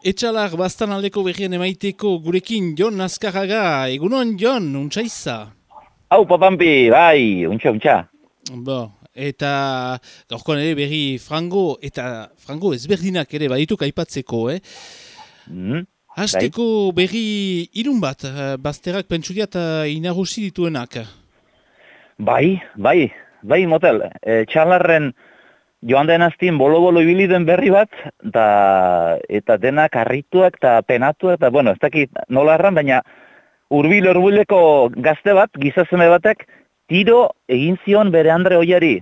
Etxalar bastan aldeko berrien emaiteko gurekin Jon Azkarraga, egunon Jon, untxaiza? Hau, Pampi, bai, untxa. Eta gaurkoan ere berri frango ezberdinak ere badituk aipatzeko, Mm, bai, Hasteko berri irun bat, bazterrak pentsuriat inagusi dituenak. bai, motel. Txalarren joan den aztien bolo-bolo ibili den berri bat, eta denak harrituak eta penatuak, eta bueno, ez dakit nola erran, baina hurbileko gazte bat, gizazeme batek, tiro egin zion bere Andre Oiari,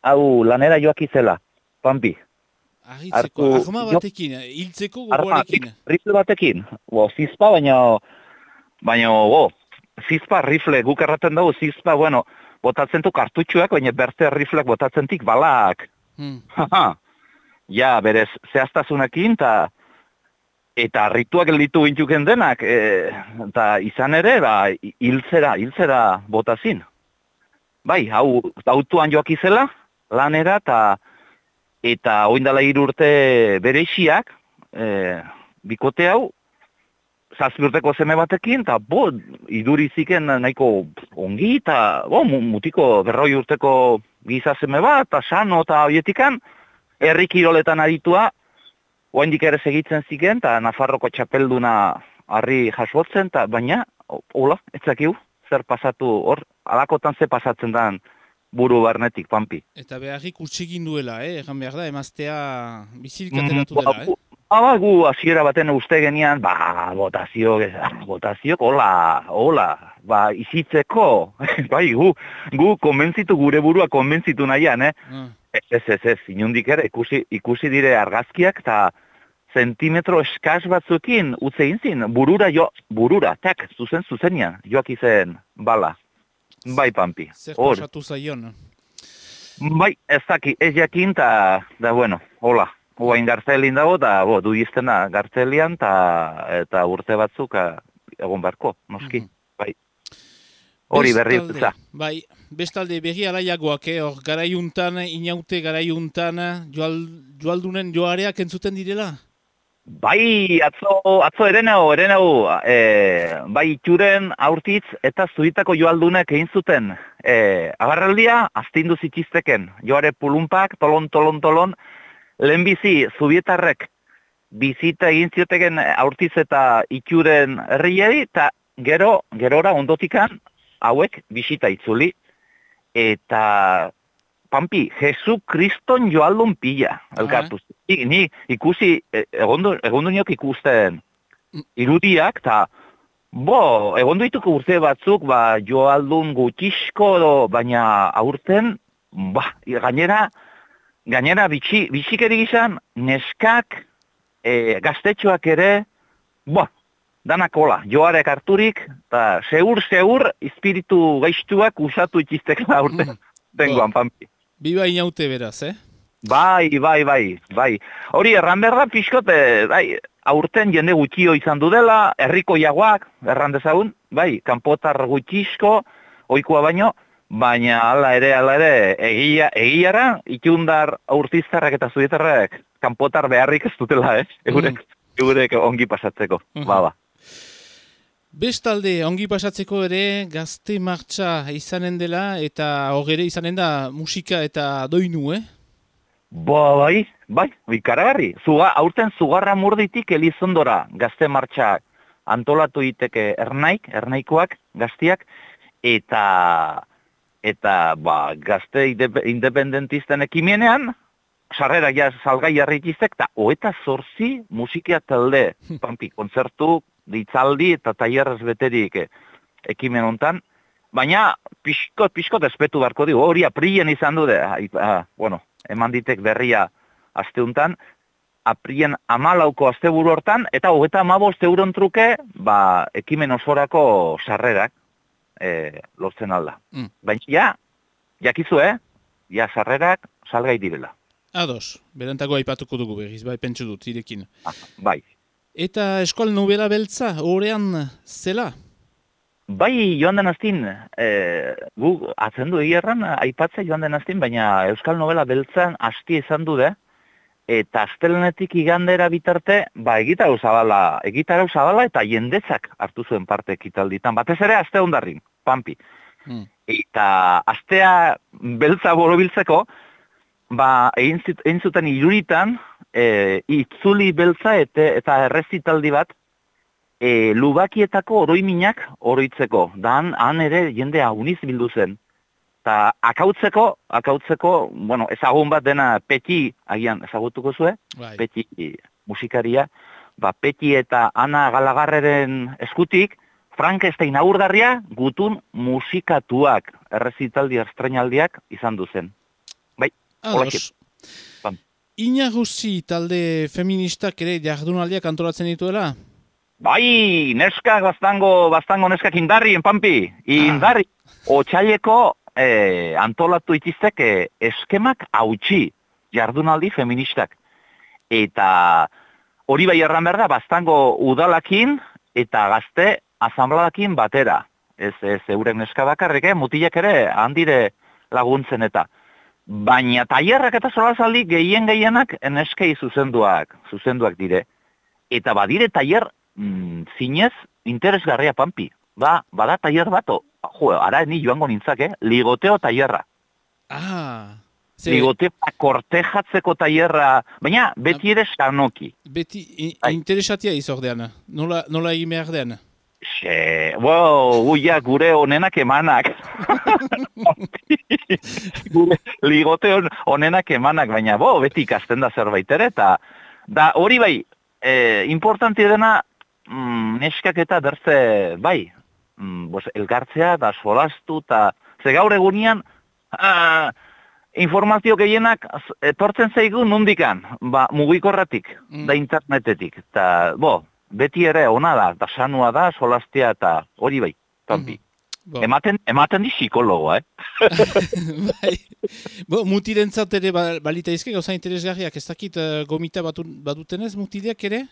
hau lanera joakizela, Pampi. Arritzeko, arma batekin, hiltzeko gogoarekin. Rifle batekin, zizpa, baina, zizpa, rifle, guk erraten dugu, zizpa, bueno, botatzen du kartutxuak, baina berte rifleak botatzen tik balak. Ja, berez, zehaztasunekin, eta harrituak gelditu gintuken denak, eta izan ere, hiltzera botazin. Bai, hau, autuan joakizela, lanera, eta oindala 3 urte bereixiak, bikote hau, 7 urteko seme batekin, eta iduriziken nahiko ongi, eta mutiko 40 urteko giza seme bat, eta sano eta hoietikan, herri kiroletan aditua, oaindik ere segitzen ziken, eta Nafarroko txapelduna harri jasotzen, baina, hola, etzakiu, zer pasatu hor, alakotan ze pasatzen dan, buru barnetik, Pampi. Eta beharrik utxegin duela, egan behar da, emaztea bizirik ateratu dela, Gu hasiera baten uste genian, botaziok, hola, izitzeko, bai, gu konbentzitu, gure burua konbentzitu nahian, Ez, inundik ere, ikusi dire argazkiak, eta zentimetro eskaz batzuekin utze egin zin, burura, zuzenian, joak izen bala. Bai, Pampi. Zer pasatu zaion? Bai, ez daki, ez jakin, da bueno, hola. Oain gartzelin dago, da du iztena gartzelian, eta urte batzuk egon beharko, noski, bai. Hori berri utza. Bai, bestalde berri alaiagoak, hor garaiuntan, inaute garaiuntan, joaldunen joareak entzuten direla? Bai, atzo erenau, bai itxuren aurtitz eta zuitako joaldunek egin zuten. Agarraldia, astindu zitizteken, joare pulunpak, tolon, lehenbizi zubietarrek bizita egin zioteken aurtitz eta itxuren herriei, eta gerora ondotikan hauek bisita itzuli, eta Pampi, Jesu Kriston joaldun pila, elkartuz. Ni ikusi, egondu niok ikusten irudiak, eta egondu dituko urte batzuk, joaldun gutxisko, baina aurten, gainera bitxikeri gizan, neskak, gaztetxoak ere, danak hola, joarek harturik, eta seur, espiritu gaiztuak usatu itiztekela aurten, dengoan, Pampi. Biba inaute beraz, Bai. Hori erran behar da pixkote, aurten jende gutxio izan du dela, herriko jaguak, erran dezagun, kanpotar gutxizko, oikoa baina hala ere, egiara, itundar aurtiztarrak eta zudietarrak, kanpotar beharrik ez dutela, Eurek ongi pasatzeko, Bestalde, ongi pasatzeko ere, gazte martxa izanen dela, eta hor ere izanen da musika eta doinu, Bai, ikaragarri. Aurten zugarra murditik Elizondora gazte martxa antolatu iteke ernaikoak, gaztiak, eta gazte independentisten ekimenean, sarrera salgai jarritizek, eta 28 musikia talde, Pampi, kontzertu, ditzaldi eta tailerrez beterik ekimen hontan, baina pixkot espetu barko digu, hori aprien izan du, eman ditek berria asteuntan, aprien 14ko asteburu hortan, eta 35 euron truke, ekimen osorako sarrerak lortzen alda. Baina, jakizu, sarrerak salgai direla. Ados, berantako aipatuko dugu berriz, pentsu dut, irekin. Bai. Eta eskual nobela beltza, horrean zela? Bai, joan den aztin, gu atzendu egierran, aipatzea joan den aztin, baina Euskal Nobela beltzan hasti izan du, eta astelenetik igandera bitarte, egitarau zabala eta jendezak hartu zuen parte ekitalditan, batez ere aste hondarrin, Pampi. Eta astea beltza borobiltzeko, egin zuten iruritan, itzuli beltza eta errezitaldi bat, lubakietako oroiminak oroitzeko. Da han ere jende aguniz bildu zen. Eta akautzeko, ezagun bat dena Peti, agian ezagutuko zue, Peti musikaria, Peti eta Ana Galagarreren eskutik, Frankenstein aurgarria gutun musikatuak, errezitaldi estrenaldiak izan duzen. Bai, Ados. Inagusi talde feministak ere jardunaldiak antolatzen dituela? Bai, neskak bastango neskak indarri, Pampi, indarri. Otsaileko antolatu itiztek eskemak hautsi jardunaldi feministak. Eta hori bai erran behar da, bastango udalakin eta gazte asanbladakin batera. Ez euren neska bakarrik, mutilek ere handire laguntzen eta. Baina tailerrak eta solasaldi gehienak neskei zuzenduak dire. Eta badire tailer zinez interesgarria, Pampi. Bada tailer bato. Ara ni joango nintzak, ligoteo tailerra. Ligoteo kortejatzeko tailerra, baina beti ere sanoki. Beti interesatia izordean, nola egin behar den? Gure onenak emanak. Gure ligoteo onenak emanak, baina beti ikasten da zerbait ere, eta hori bai, importanti dena, neskak eta derze, bai, elgartzea da solastu, eta ze gaur egunian, informazio gehienak etortzen zaigu nondikan, mugikorratik, da internetetik, eta beti ere ona da sanua da, solastea eta hori bai, Pampi. Ematen di psikologoa, Bai. Mutirentzat ere balita izke, gauza interesgarriak, ez dakit gomita badutenez mutileak ere?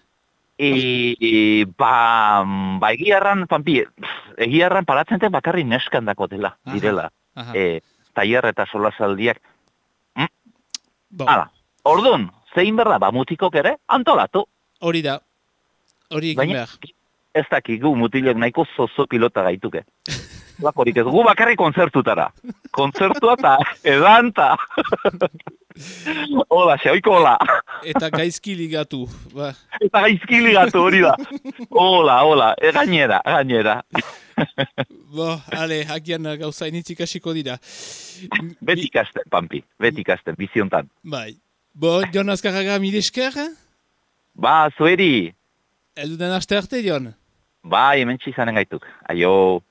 Egiarran, Pampi, egiarran paratzen ten bakarri neskan dako dela, direla. Tailer eta solasaldiak. Orduan, zein berda, mutikok ere, antolatu. Hori da. Hori egin behar. Ez dakigu mutilek nahiko zozo pilota gaituke. Lakorik ez, gu bakarri konzertutara. Konzertua eta edan eta... Hola, xeoiko hola. Eta gaizki ligatu. Eta gaizki ligatu hori da. Hola, gainera. Agian gauza initzik hasiko dira. Beti ikasten, Pampi, biziontan. Bai. Jon Azkarraga, mil esker? Zueri. Elduden aste arte, Jon? Hemen txizanen gaituk. Aio.